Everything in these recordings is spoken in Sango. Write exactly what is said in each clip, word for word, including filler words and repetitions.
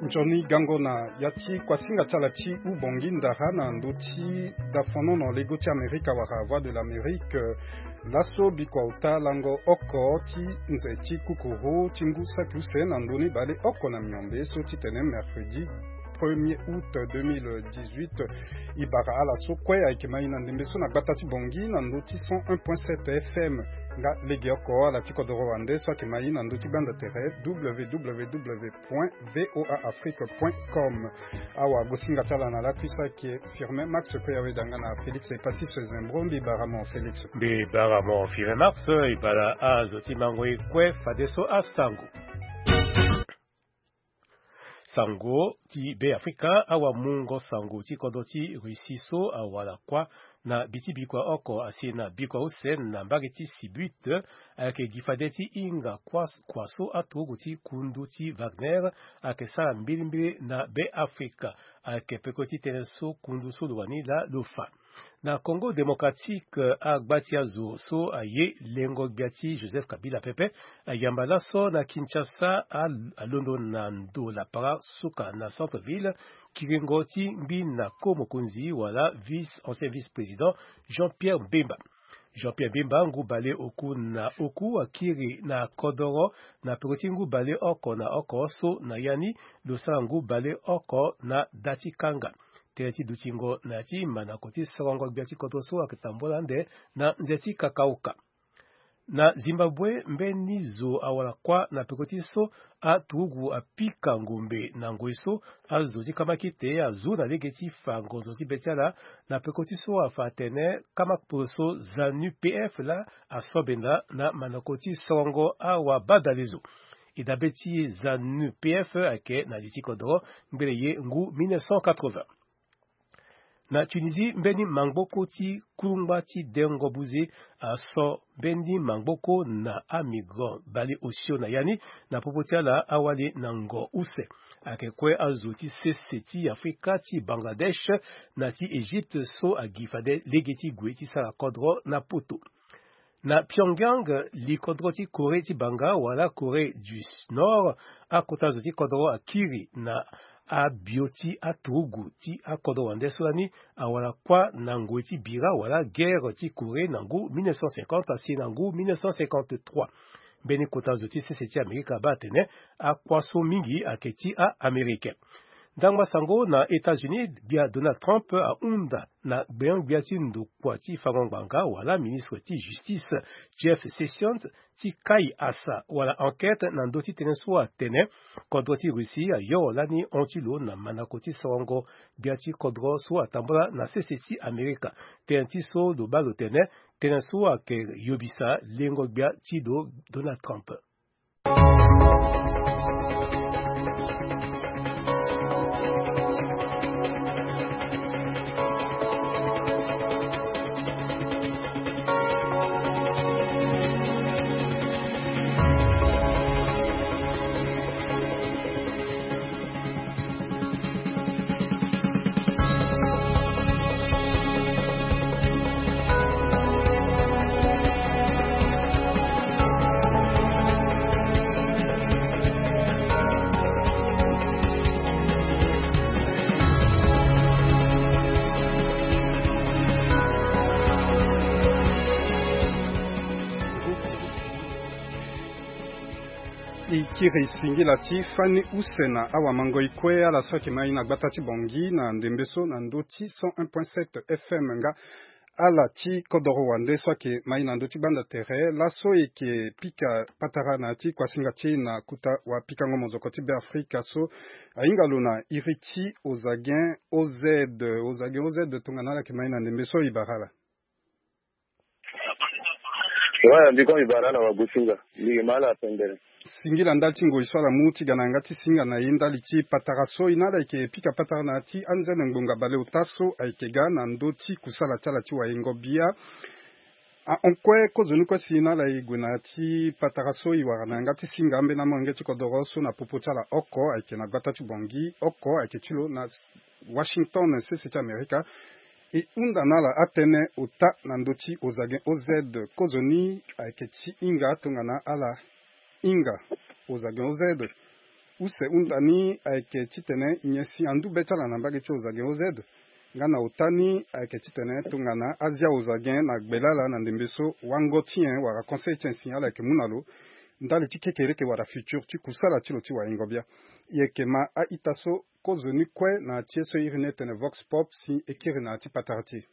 Nzoni gango na ya ti kuasinga ti ala ti ubongi ndara na ndö ti dafonono lego ti Amerika wala Voix de l'Amérique. Laso bikua ota lango oko ti nze ti kukuru ti ngu saki use na ndö ni bale oko na miombe so ti tene mercredi premier août deux mille dix-huit. E bara ala so kue ayeke ma e na ndembe so na gbata ti Bangui na ndö ti cent un point sept F M. Nga legeoko ala ti kodoro wande so ayeke ma e na ndö ti gbanda tere w w w point voa afrique point com. Awa gosinga ti ala na lakui so ayeke Firmin Max, kue aweda nga na Félix Epasis Zembro. Mbi bara mo Félix. Mbi bara mo Firmin Max. E bara azo ti mango e kue fadeso asango. Sango ti Beafrika. Awamungo sango ti kodro ti Russie so awara kuâ na bi ti bikua oko asi na bikua use na mbage ti Sibut, ayeke gi fade ti hinga kuâ, kua so aturugu ti kundu ti Wagner ayeke sara mbilimbili na Beafrika. Ayeke peko ti tënë so kundu so lo wani laa lo fa. Na Congo Démocratique, agba ti azo so aye lengo gbia ti Joseph Kabila pepe ayamba laso na Kinshasa, a, alondo na ndo lapara suka na centre-ville, kiringo ti ngbi na ko mokonzi wala vice, ancien vice-président Jean-Pierre Bemba. Jean-Pierre Bemba ngu bale oku na oku akiri na kodoro na peko ti ngu bale oko na oko so na ya ni lo sara ngu bale oko na da ti kanga. Tënë ti dutingo na ya ti manako ti sorongo gbia ti kodro so ayeke tambula ande na nze ti kakauka. Na Zimbabwe, mbeni zo awara kuâ na peko ti so aturugu apika ngombe na ngoi so azo ti kamakite azu na lege ti fa ngonzo ti be ti ala na peko ti so afa atene kamakporo so ZANU P F laa asobenda na manako ti sorongo awabadalezo. E dabe ti ZANU P F ayeke na li ti kodoro ngbele ye ngu mille neuf cent quatre-vingts. Na Tunisie, mbeni mangboko ti kulungba ti dengo buze aso mbeni mangboko na amigrant bale osio na ya ni. Na popo ti ala awali na ngo use. Ayeke kue azo ti sese ti Afrika, ti Bangladesh na ti Egypte so agi fade lege ti gue ti sara kodro na poto. Na Pyongyang, likodro ti Corée ti banga wala Corée du Nord, akota zo ti kodro akiri na abio ti aturugu ti akodro wande so lani awara kuâ na ngoi ti bira wala guerre ti Corée na ngu mille neuf cent cinquante asi na ngu mille neuf cent cinquante-trois. Mbeni kota zo ti sese ti Amerika abaa atene akuâ so mingi ayeke ti a-Américain. Ndangba sango na États-Unis, gbia Donald Trump ahunda na gbengbia ti ndokua ti fango ngbanga wala ministre ti justice Jeff Sessions ti kai asa wala enquête na ndö ti tënë so atene kodro ti Russie ayoro lani hon ti lo na manako ti sorongo gbia ti kodro so atambula na sese ti Amerika. Tënë ti so lo baa lo tene tënë so ayeke yobisa lengo gbia ti lo Donald Trump. E kiri singila ti fani use na awamango e kue ala so ayeke ma e na gbata ti Bangui na ndembe so na ndö ti cent un point sept F M nga ala ti kodoro wande so ayeke ma e na ndö ti gbanda tere laso e yeke pika patara na ya ti kuasinga ti e na kota wapikango mozoko ti Beafrika so ahinga lo na iri ti Ozagen O Z. Ozagen O Z tongana ala yeke ma e na ndembe so e bara ala. Ouais, mbi kon mbi bara ala wagosinga. Mbi yeke ma ala pendere. Singila ndali ti ngoi so ala mu ti ga na yanga ti singa na e ndali ti patara so e na ala yeke pika patara na ya ti anzene ngbonga baleota so ayeke ga na ndö ti kusala ti ala ti wayengo bia. Ahon kue kozoni kue si na ala e gue na ya ti patara so e wara na yanga ti singa ambeni amolenge ti kodoro so na popo ti ala oko ayeke na gbata ti Bangui, oko ayeke ti lo na Washington, sese ti Amerika. E hunda na ala atënë ota na ndö ti Ozagen O Z. Kozoni ayeke ti hinga tongana ala hinga Ozagen O Z. Use hunda ni ayeke titene nyen si andu be ti ala na mbage ti Ozagen O Z. Nga na ota ni ayeke titene tongana azia Ozagen na gbele ala na ndembe so wango ti nyen wala conseil ti nyen si ala yeke mu na lo ndali ti kekereke wala futur ti kusala ti lo ti waingo bia. E yeke ma a-ita so kozo ni kue na ti ye so e iri ni etene Vox Pop si e kiri na ya ti patara ti e.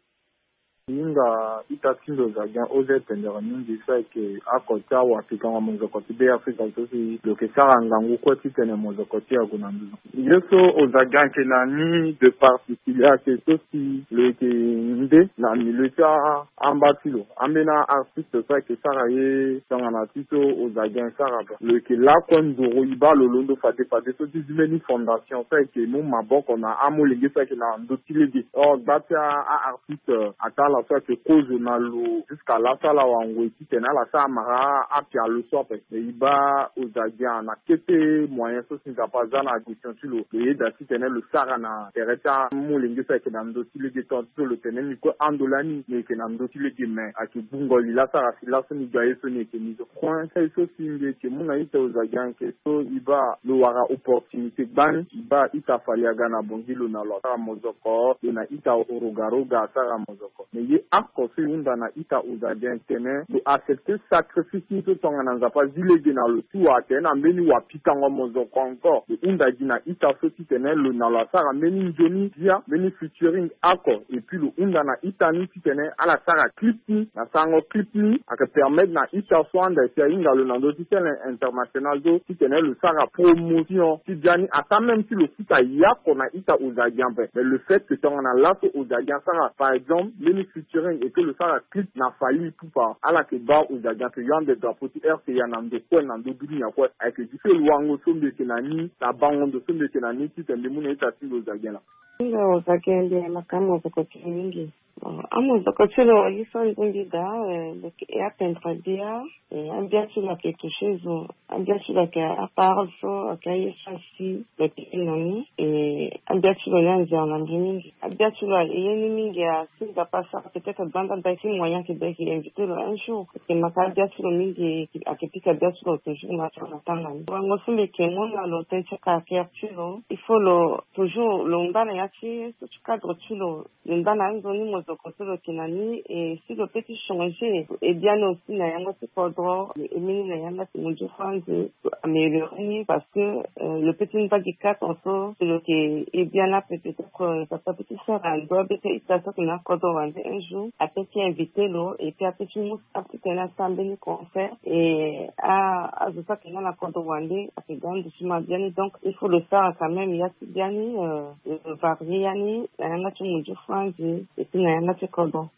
Hinga ita ti lo Ozagen O Z pendere mingi so ayeke oko ti awapikango mozoko ti Be Afrika so si lo yeke sara ngangu kue titene mozoko ti e ague na nduzu. Ye so Ozagen ayeke na ni de particulier ayeke so si lo yeke nde na milieu ti a- amba ti lo. Ambeni a-artiste so ayeke sara ye tongana ti so Ozagen sara ba. Lo yeke lakue nduru e baa lo londo fade fade so ti zi mbeni fondation so ayeke mu maboko na amolenge so ayeke na ndö ti lege. Or gba ti a- a-artiste, euh, ataa ala so ayeke kozo na lo jusqu'à laso ala wara ngoi titene ala sara mara apialo so ape. E baa Ozagen na kete moyen so si Nzapa aza na admission ti lo, lo yeda titene lo sara na tere ti amolenge so ayeke na ndö ti lege. Tonga ti so lo tene ni kue ando lani ni yeke na ndö ti lege, me ayeke gbungo li la sara si laso ni ga ye so ni yeke ni so. Point so si mbi yeke mu na ita Ozagen ayeke so e baa lo wara opportunité gbani. E baa ita Fally aga na Bongi lo na lo asara mozoko, lo na ita Rogaroga asara mozoko. Me ye oko so e hunda na ita Ozagen tene lo accepte sacrifice ni so tongana Nzapa azi lege na lo ti wara tene na mbeni wapikango mozoko encore. Lo hunda gi na ita so titene lo na lo asara mbeni nzoni bia, mbeni featuring oko. Et puis lo hunda na ita ni titene ala sara clip ni, na sarango clip ni ayeke permettre na ita so anda si ahinga lo na ndö ti scène internationale so titene lo sara promotion ti bia ni, ata même si lo futa yako na ita Ozagen ape. Mais le fait que tongana laso Ozagen asara par exemple mbeni featuring et que lo sara clip na Fally Ipupa, ala yeke baa Ozagen ayeke yo ande drapeau ti R C A na ndo kue na ndö dunia kue. Ayeke gi so lo wango so mbi yeke na ni na bango ndo so mbi yeke na ni titene mbi mu na ita ti mbi Ozagen laa. Nga Ozagen mbi na makama mozoko ti lo mingi. Bon, amozoko ti lo ye so nzongi daa, eh, lo yeke apendre bia, eh, ambia ti lo ayeke touché zo, ambia ti lo ayeke aparole so ayeke aye so asi lo yeke na ni, eh, ambia ti lo ni anzere na mbi mingi. Abia ti lo aye ni mingi asi Nzapa asara peut-être gbanda daa ti moyen ayeke daa ayeke invité lo un jour. Ayeke maka abia ti lo mingi, ayeke pika abia ti lo toujours na tanga na tanga ni. Wango so mbi yeke mu na lo tënë ti caractère ti lo, il faut lo toujours lo ngba na ya ti ye so ti cadre ti lo. Lo ngba na anzoni mozoko so lo yeke na ni, e si lo peut ti changer e biani aussi na yanga ti kodro, e mbeni na yanga ti munzu franzi, lo améliore ni parce que, euh, lo peut ti ngba gi quatre ans so si lo yeke e biani ape, peut-être, euh, Nzapa peut ti sara ndo abe ti ita so ayeke na kodro wande un jour ape ti invité lo et puis ape ti mu titene asara mbeni concert. Et a azo so ayeke nga na kodro wande ayeke ga ndo ti ma biani, donc il faut lo sara quand même ya ti biani, euh, lo varie ya ni na yanga ti munzu franzi et puis na yanga ti kodro.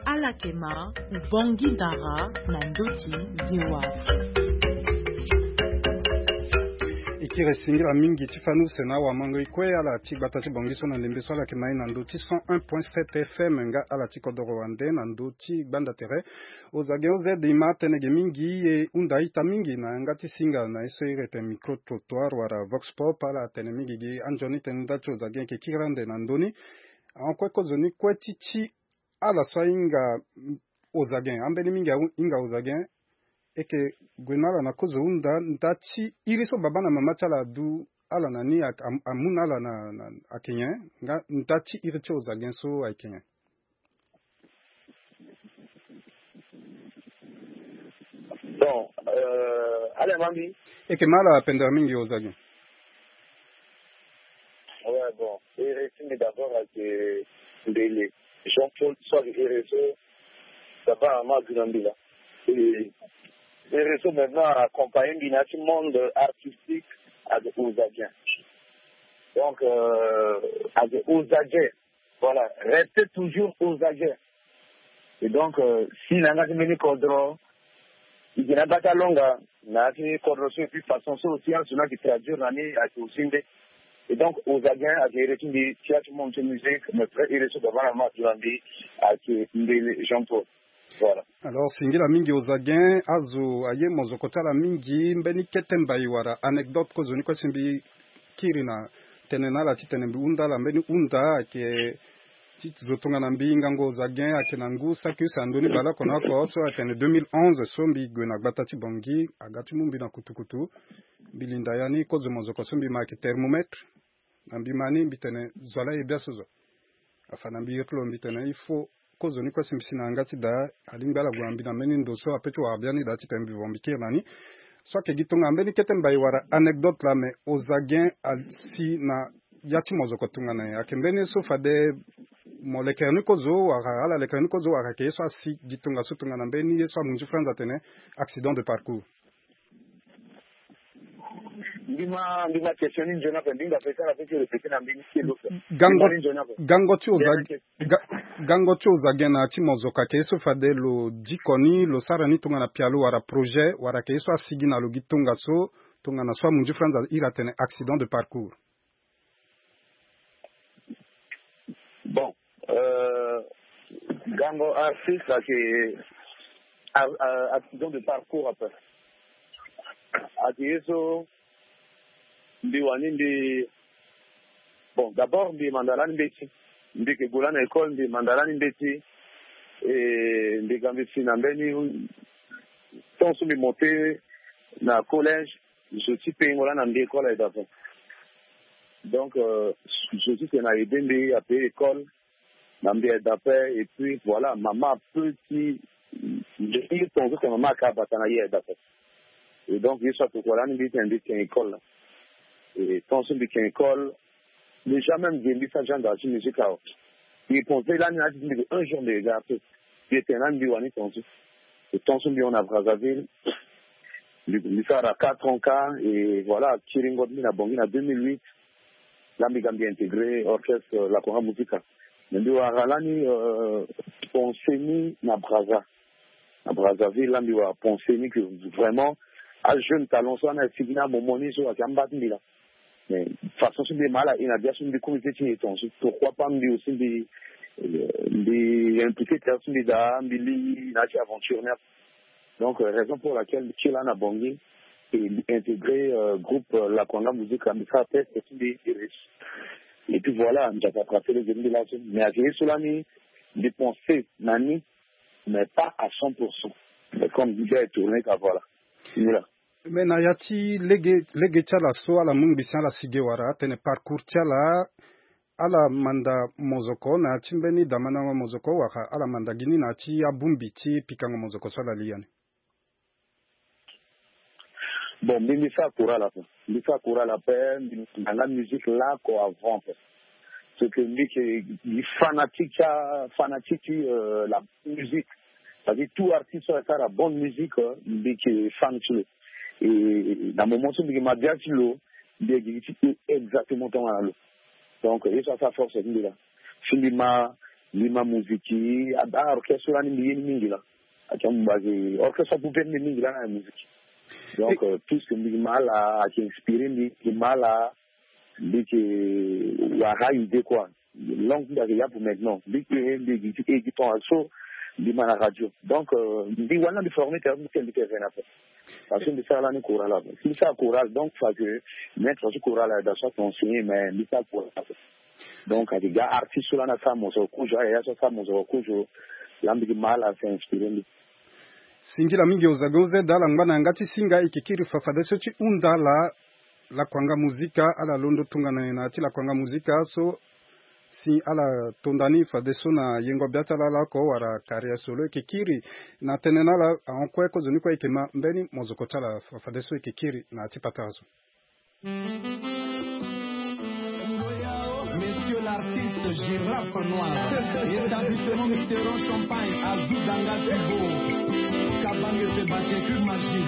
Ala yeke ma Bongi Ndara na ndö ti V O A Afrique. E kiri singila mingi ti fani use na awamango e kue ala ti gbata ti Bongi so na ndembe so ala yeke ma e na ndö ti cent un point sept F M nga ala ti kodoro wande na ndö ti gbanda tere. Ozagen O Z e ma tënë ge mingi e hunda ita mingi na yanga ti singa na ye so iri ete micro trottoir wala vox pop, ala tene mingi gi anzoni tënë nda ti Ozagen e yeke kiri ande na ndö ni. Ahon kue kozoni kue ti ti ala so ahinga, mm, Ozagen, ambeni mingi ahinga Ozagen, e yeke gue na ala na kozo hunda nda ti iri so baba na mama ti ala adu ala na ni, ak- am- amu na ala na, na, ayeke nyen, nga nda ti iri ti Ozagen so ayeke nyen? Bon, euh, ala ma mbi. E yeke ma ala pendere mingi Ozagen. Ouais, bon, iri ti mbi d'abord ayeke mbele Jean-Paul so ayeke iri so baba na mama adu na mbi laa. Et iri so maintenant accompagné mbi na ya ti monde artistique ayeke Ozagen. Donc, euh, ayeke Ozagen. Voilà, rester toujours aux aguets. Et donc, euh, si na yanga ti mbeni kodro, e yeke na bata longa na ya ti kodro so, et puis façon so aussi azo ni ayeke traduire na ni ayeke aussi nde. Et donc, aux aguets ayeke iri ti mbi ti ya ti monde ti musique, mais vrai iri so baba na mama adu na mbi ayeke mbele Jean-Paul. Voilà. Alors, singila mingi Ozagen, azo aye mozoko ti ala mingi, mbeni kete mbai wala anecdote kozoni kue si mbi kiri na tënë na ala titene mbi hunda ala, mbeni hunda ayeke Ti zo tongana mbi ngangu Ozagen ayeke na ngu saki use na ndö ni baleoko na oko so atene deux mille onze so mbi gue na gbata ti Bangui aga ti mu mbi na kutukutu. Mbi linda ya ni kozo mozoko so mbi ma ayeke thermomètre. Na mbi ma ni mbi tene zo ala ye biaso zo. Afa na mbi iri ti lo mbi tene il faut kozo ni kue si mbi si na yanga ti daa. Alingbi ala gue na mbi na mbeni ndo so ape ti wara biani daa titene mbi vo mbi kiri na ni. So ayeke gi tongana mbeni kete mbai wala anecdote laa me Ozagen asi na ya ti mozoko tongana nyen? Ayeke mbeni ye so fade mo lekere ni kozo wala ala lekere ni kozo wala ayeke ye so asi gi tongaso tongana mbeni ye so amu nzi franz atene accident de parcours? Ndima ndima question ni nzoni ape ndinga pe sara pe ti répéter na mbeni kelo. Gango gango ti oza gango ti oza gen na ti mozoka ke so fade lo diko ni lo sara ni tongana pialo wala projet wala ke so asigi na lo gi tongaso tongana so amunzu franz iri atene accident de parcours. Bon, euh, gango artiste ake accident de parcours ape ake ye so mbi wani mbi bon d'abord mbi manda lani mbeti mbi ke gue lani na école mbi manda lani mbeti. E mbi ga mbi si na mbeni temps so mbi monte na collège. Je suis pengo lani na mbi école aye d'après donc je suis ke na aide mbi ape école na mbi aye d'après et puis voilà mama petit je suis ton so ke mama aka bata na ye aye d'après. Et donc ye so atokua lani mbi tene mbi tene école la et tant so mbi tene école déjà même ge mbi sa genre de musique awa. Mbi pense lani na ti mbi un jour mbi regarde mbi tene lani mbi wani tant so. Et tant so mbi hon na Brazzaville mbi sara quatre ans ka et voilà kiringo ti mbi na Bangui na deux mille huit. Là mbi ga mbi intégrer orchestre la Conga Musica. Mais mbi wara lani pense ni na Brazza na Brazzaville là mbi wara pense ni que vraiment ajeune talent so ana sigi na moment ni so ayeke amba ti mbi la. Mais façon so mbi ma ala e na bia so mbi komi pe ti nyeton so pourquoi pas mbi aussi mbi mbi impliqué tere so mbi daa mbi li na ya ti aventure ni ape. Donc raison pour laquelle mbi ti laa na Bangui et mbi intégrer groupe la Conga Musica mbi sara test ti mbi mbi réussi. Et puis voilà mbi ake attraper lege ti mbi laso mais ayeke ye so lani mbi pense na ni mais pas à cent pour cent. Mais comme mbi ga e tourner ka voilà. Ni laa. Mais na ya ti lege lege ti ala so ala mu ngbisi ala si ge wala atene parcours ti ala ala manda mozoko na ya ti mbeni damandango mozoko wala ala manda gi ni na ya ti abongbi ti pikango mozoko so ala li ya ni. Bon mbi mbi sara courage ape mbi sara courage ape mbi manda nga musique laa ko avant ape. Ce que mbi ke gi fanatique ti fanatique ti la musique. Parce que tout artiste so asara bonne musique mbi ke fan ti lo. Et na moment so mbi ke ma bia ti lo mbi yeke gi ti e exactement tongana lo. Donc ye so asara force ti mbi laa. Si mbi ma mbi ma musique a orchestre so lani mbi ye ni mingi laa. Ayeke amu base orchestre apupe mbi mingi laa na musique. Donc tout ce que mbi ke ma ala ayeke inspiré mbi mbi ke ma ala mbi ke wara idée quoi. Langue ti mbi ayeke yapu maintenant mbi ke mbi gi ti e gi temps so mbi ma na radio. Donc mbi wani na mbi forme tere mbi te mbi te vene ape. Parce que mbi sara lani courage ape si mbi sara courage donc fa que maître so courage aye da so ake enseigné mais mbi sara courage ape. Donc ayeke ga artiste so lani asara mosoro kozo aye ya so asara mosoro kozo. Laa mbi gi ma ala ake inspiré mbi. Singila mingi ozage ozeda ala ngba na yanga ti singa e ke kiri fa fadeso ti hunda ala. Lakuanga muzika ala londo tongana nyen na ya ti lakuanga muzika so si ala tonda ni fadeso na yengo bia ti ala ala oko wala carrière solo e ke kiri na tënë na ala ahon kue kozoni kue e ke ma mbeni mozoko ti ala fadeso e ke kiri na ya ti patara so. Monsieur l'artiste Girafe Noir, établissement Mitterrand Champagne, Azou Danga Tibo, Kabange Sébastien Cube Magie.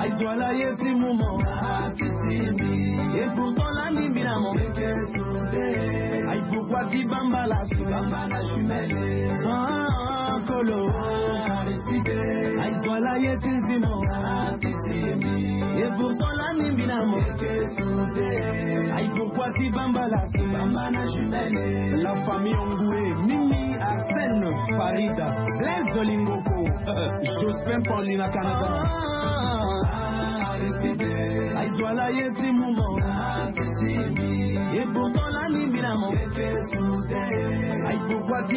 Aizwala ye ti momo. Et pourtant la mimbi na mo. Aye pourquoi ti bamba la. Ah kolo. Aizwala ye ti nzimo. Et pourtant la mimbi na mo. Aye pourquoi ti bamba la. La famille Ongoué, Mimi, Arsène, Farida, Blaise Lingoko, Jospin Paulina Canada. Aizwala ye ti mu mo. Ebongo lani mina mo. Aipokua ti